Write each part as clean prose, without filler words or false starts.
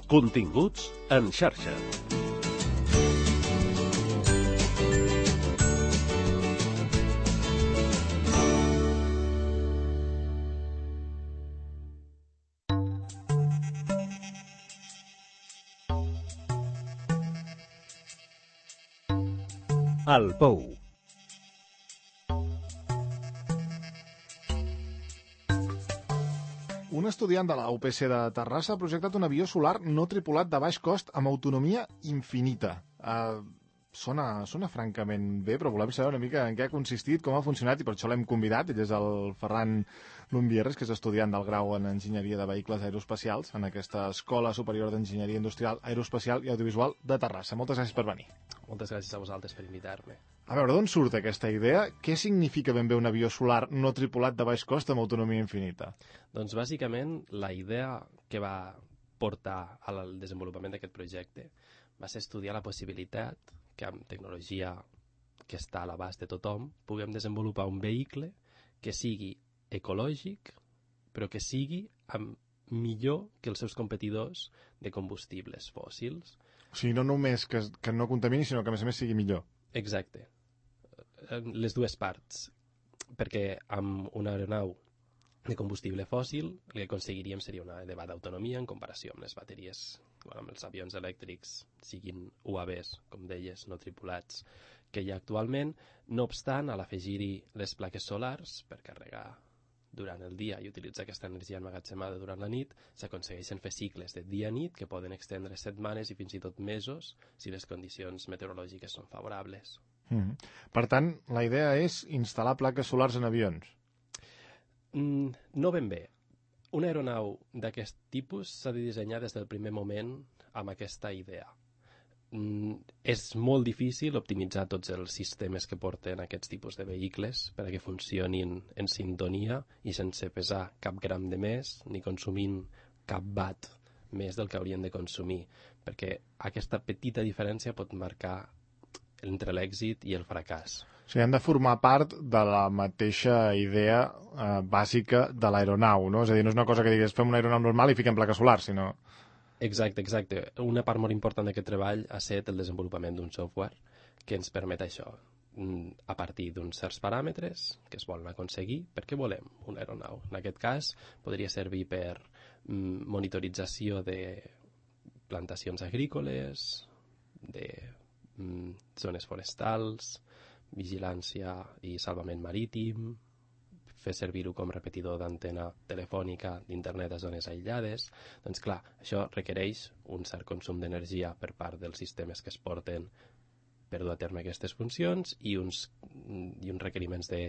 Continguts en xarxa. El Pou. Un estudiant de la UPC de Terrassa ha projectat un avió solar no tripulat de baix cost amb autonomia infinita. Sona francament bé, però volem saber una mica en què ha consistit, com ha funcionat, i per això l'hem convidat. Ell és el Ferran Lumbierres, que és estudiant del grau en Enginyeria de Vehicles Aeroespacials en aquesta Escola Superior d'Enginyeria Industrial, Aeroespacial i Audiovisual de Terrassa. Moltes gràcies per venir. Moltes gràcies a vosaltres per invitar-me. A veure, d'on surt aquesta idea? Què significa ben bé un avió solar no tripulat de baix cost amb autonomia infinita? Doncs bàsicament la idea que va portar al desenvolupament d'aquest projecte va ser estudiar la possibilitat que amb tecnologia que està a l'abast de tothom puguem desenvolupar un vehicle que sigui ecològic però que sigui millor que els seus competidors de combustibles fòssils. O sigui, no només que no contamini, sinó que a més sigui millor. Exacte. Les dues parts. Perquè amb una aeronau de combustible fòssil el que aconseguiríem seria una elevada autonomia en comparació amb les bateries, amb els avions elèctrics, siguin UAVs, com deies, no tripulats, que hi ha actualment. No obstant, a l'afegir-hi les plaques solars per carregar durant el dia i utilitzar aquesta energia emmagatzemada durant la nit, s'aconsegueixen fer cicles de dia-nit que poden extendre setmanes i fins i tot mesos si les condicions meteorològiques són favorables. Per tant, la idea és instal·lar plaques solars en avions. No ben bé. Una aeronau d'aquest tipus s'ha de dissenyar des del primer moment amb aquesta idea. És molt difícil optimitzar tots els sistemes que porten aquests tipus de vehicles perquè funcionin en sintonia i sense pesar cap gram de més ni consumint cap watt més del que haurien de consumir, perquè aquesta petita diferència pot marcar entre l'èxit i el fracàs. O sigui, han de formar part de la mateixa idea bàsica de l'aeronau, no? És a dir, no és una cosa que digues fem una aeronau normal i fiquem plaques solars, sinó... Exacte. Una part molt important d'aquest treball ha estat el desenvolupament d'un software que ens permet això, a partir d'uns certs paràmetres que es volen aconseguir perquè volem una aeronau. En aquest cas, podria servir per monitorització de plantacions agrícoles, de zones forestals, vigilància i salvament marítim, fer servir-ho com repetidor d'antena telefònica d'internet a zones aïllades. Doncs clar, això requereix un cert consum d'energia per part dels sistemes que es porten per dur a terme aquestes funcions i uns requeriments de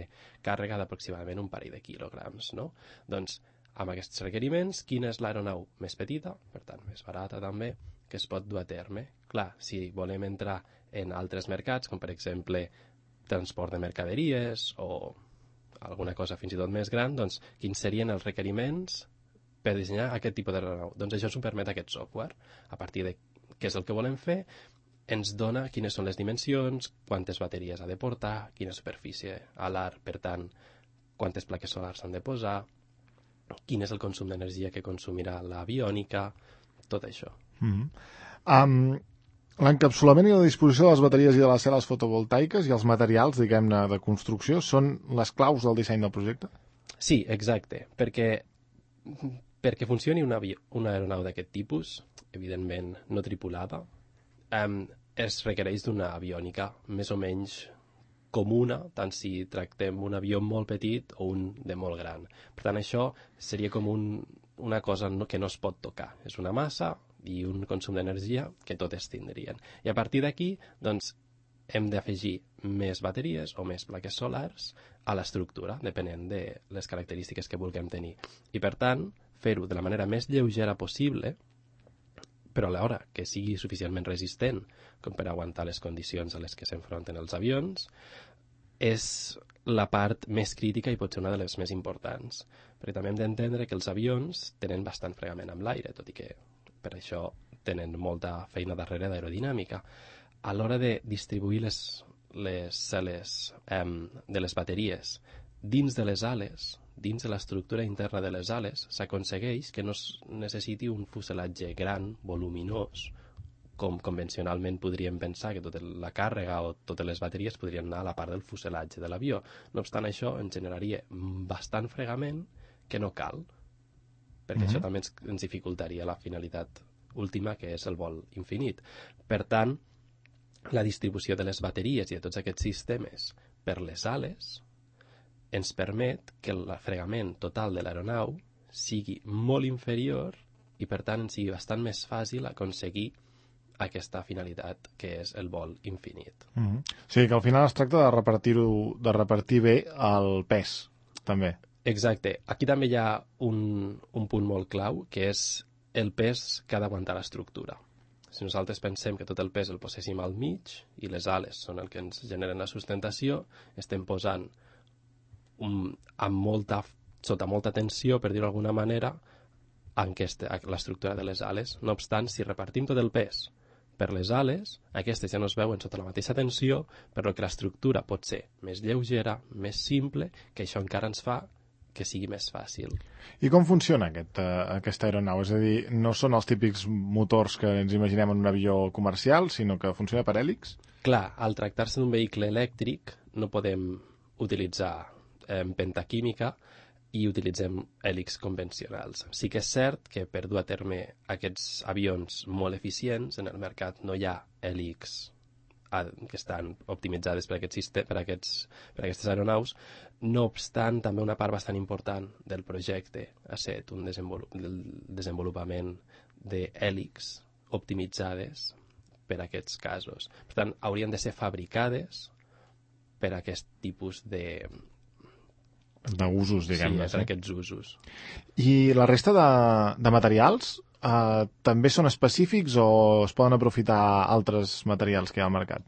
càrrega d'aproximadament un parell de quilograms, no? Doncs amb aquests requeriments, quina és l'aeronau més petita, per tant més barata també, que es pot dur a terme? Clar, si volem entrar en altres mercats, com per exemple transport de mercaderies o alguna cosa fins i tot més gran, doncs quins serien els requeriments per dissenyar aquest tipus d'aeronau? Doncs això ens ho permet aquest software. A partir de què és el que volem fer, ens dona quines són les dimensions, quantes bateries ha de portar, quina superfície alar, per tant, quantes plaques solars s'han de posar, quin és el consum d'energia que consumirà l'aviònica, tot això. L'encapsulament i la disposició de les bateries i de les cel·les fotovoltaiques i els materials, diguem-ne, de construcció són les claus del disseny del projecte? Sí, exacte, perquè funcioni una aeronau d'aquest tipus, evidentment no tripulada, es requereix d'una aviònica més o menys comuna, tant si tractem un avió molt petit o un de molt gran. Per tant, això seria com una cosa que no es pot tocar. És una massa i un consum d'energia que totes tindrien. I a partir d'aquí, doncs, hem d'afegir més bateries o més plaques solars a l'estructura, depenent de les característiques que vulguem tenir. I, per tant, fer-ho de la manera més lleugera possible, però alhora que sigui suficientment resistent com per aguantar les condicions a les que s'enfronten els avions, és la part més crítica i potser una de les més importants. Perquè també hem d'entendre que els avions tenen bastant fregament amb l'aire, tot i que per això tenen molta feina darrere d'aerodinàmica. A l'hora de distribuir les cel·les de les bateries dins de les ales dins de l'estructura interna de les ales s'aconsegueix que no es necessiti un fuselatge gran, voluminós, com convencionalment podríem pensar que tota la càrrega o totes les bateries podrien anar a la part del fuselatge de l'avió. No obstant això, ens generaria bastant fregament que no cal, perquè això també ens dificultaria la finalitat última, que és el vol infinit. Per tant, la distribució de les bateries i de tots aquests sistemes per les ales ens permet que el fregament total de l'aeronau sigui molt inferior i, per tant, ens sigui bastant més fàcil aconseguir aquesta finalitat que és el vol infinit. O sigui que al final es tracta de repartir bé el pes, també. Exacte. Aquí també hi ha un punt molt clau, que és el pes que ha d'aguantar l'estructura. Si nosaltres pensem que tot el pes el poséssim al mig i les ales són el que ens generen la sustentació, estem posant sota molta tensió, per dir-ho d'alguna manera, l'estructura de les ales. No obstant, si repartim tot el pes per les ales, aquestes ja no es veuen sota la mateixa tensió, però que l'estructura pot ser més lleugera, més simple, que això encara ens fa que sigui més fàcil. I com funciona aquesta aeronau? És a dir, no són els típics motors que ens imaginem en un avió comercial, sinó que funciona per hèlix? Clar, al tractar-se d'un vehicle elèctric no podem utilitzar pentaquímica i utilitzem hèlix convencionals. Sí que és cert que per dur a terme aquests avions molt eficients, en el mercat no hi ha hèlix que estan optimitzades per aquestes aeronaus. No obstant, també una part bastant important del projecte ha estat el desenvolupament d'hèlix optimitzades per a aquests casos. Per tant, haurien de ser fabricades per a aquest tipus d'usos, diguem-ne. Sí, per aquests usos. I la resta de materials també són específics o es poden aprofitar altres materials que hi ha al mercat?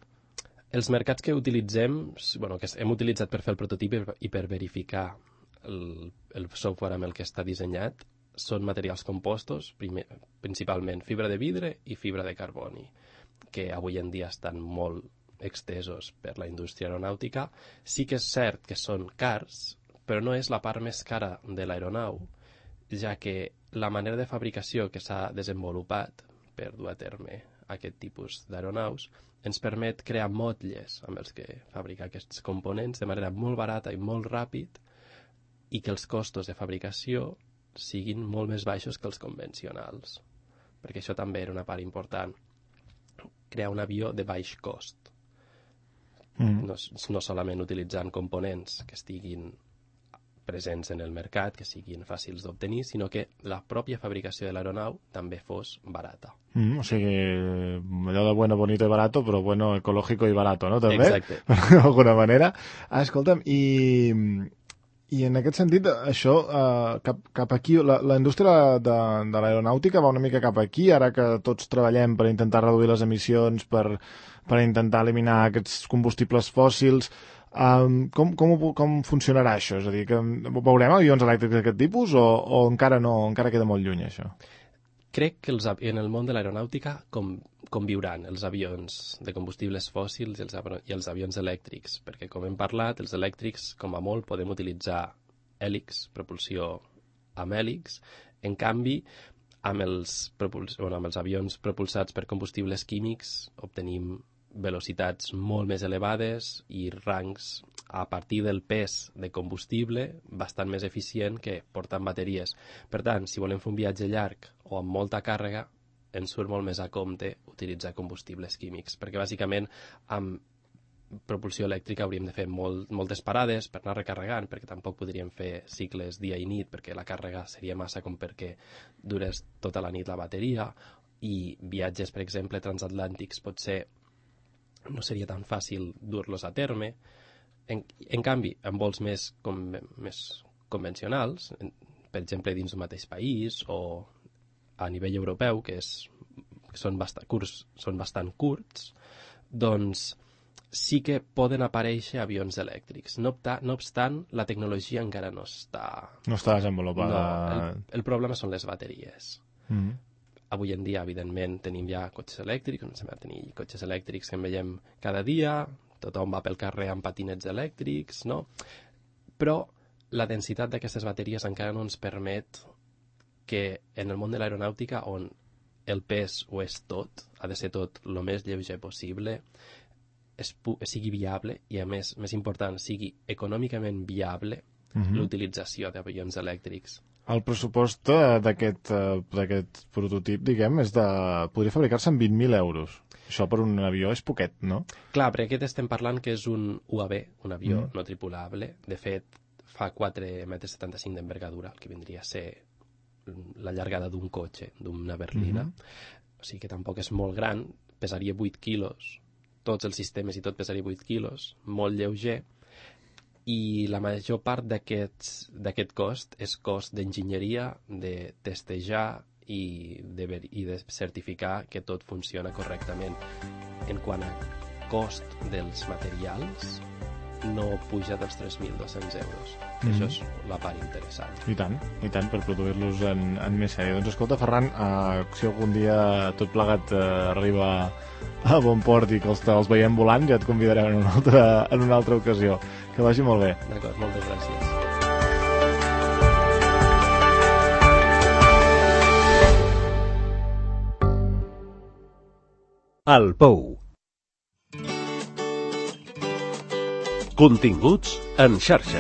Els mercats que utilitzem, que hem utilitzat per fer el prototip i per verificar el software amb el que està dissenyat, són materials compostos, principalment fibra de vidre i fibra de carboni, que avui en dia estan molt extesos per la indústria aeronàutica. Sí que és cert que són cars, però no és la part més cara de l'aeronau, ja que la manera de fabricació que s'ha desenvolupat per dur a terme aquest tipus d'aeronaus ens permet crear motlles amb els que fabricar aquests components de manera molt barata i molt ràpid i que els costos de fabricació siguin molt més baixos que els convencionals, perquè això també era una part important, crear un avió de baix cost. No solament utilitzant components que estiguin presents en el mercat, que siguin fàcils d'obtenir, sinó que la pròpia fabricació de l'aeronau també fos barata. O sigui, allò de bueno, bonito i barato, però bueno, ecológico i barato, no? També? Exacte. D'alguna manera. Escolta'm, i en aquest sentit, això, cap aquí, la indústria de l'aeronàutica va una mica cap aquí, ara que tots treballem per intentar reduir les emissions, per intentar eliminar aquests combustibles fòssils. Com funcionarà això? És a dir, que veurem avions elèctrics d'aquest tipus o encara no, encara queda molt lluny això? Crec que en el món de l'aeronàutica conviuran els avions de combustibles fòssils i els avions elèctrics, perquè com hem parlat, els elèctrics, com a molt, podem utilitzar hèlix, propulsió amb hèlix. En canvi, amb els avions propulsats per combustibles químics obtenim velocitats molt més elevades i rangs a partir del pes de combustible bastant més eficient que portant bateries. Per tant, si volem fer un viatge llarg o amb molta càrrega, ens surt molt més a compte utilitzar combustibles químics, perquè bàsicament amb propulsió elèctrica hauríem de fer moltes parades per anar recarregant, perquè tampoc podríem fer cicles dia i nit, perquè la càrrega seria massa com perquè durés tota la nit la bateria, i viatges, per exemple, transatlàntics potser no seria tan fàcil dur-los a terme. En canvi, en vols més convencionals, per exemple, dins d'un mateix país o a nivell europeu, que són bastant curts, doncs sí que poden aparèixer avions elèctrics. No obstant, la tecnologia encara no està... No està desenvolupada. No, el problema són les bateries. Avui en dia, evidentment, tenim ja cotxes elèctrics, comencem a tenir cotxes elèctrics que en veiem cada dia, tothom va pel carrer amb patinets elèctrics, no? Però la densitat d'aquestes bateries encara no ens permet que en el món de l'aeronàutica, on el pes ho és tot, ha de ser tot el més lleuger possible, sigui viable i, a més important, sigui econòmicament viable l'utilització d'avions elèctrics. El pressupost d'aquest prototip, diguem, podria fabricar-se amb 20.000 euros. Això per un avió és poquet, no? Clar, perquè aquest estem parlant que és un UAV, un avió no tripulable. De fet, fa 4,75 metres d'envergadura, el que vindria a ser la llargada d'un cotxe, d'una berlina. O sigui que tampoc és molt gran, pesaria 8 quilos, tots els sistemes i tot pesaria 8 quilos, molt lleuger, i la major part d'aquest cost és cost d'enginyeria, de testejar i de certificar que tot funciona correctament. En quant a cost dels materials, no puja dels 3.200 euros. Això és la part interessant. I tant, per produir-los en més sèrie. Doncs escolta, Ferran, si algun dia tot plegat arriba a bon port i que els veiem volant, ja et convidarem en una altra ocasió. Que vagi molt bé. D'acord, moltes gràcies. El Pou. Continguts en xarxa.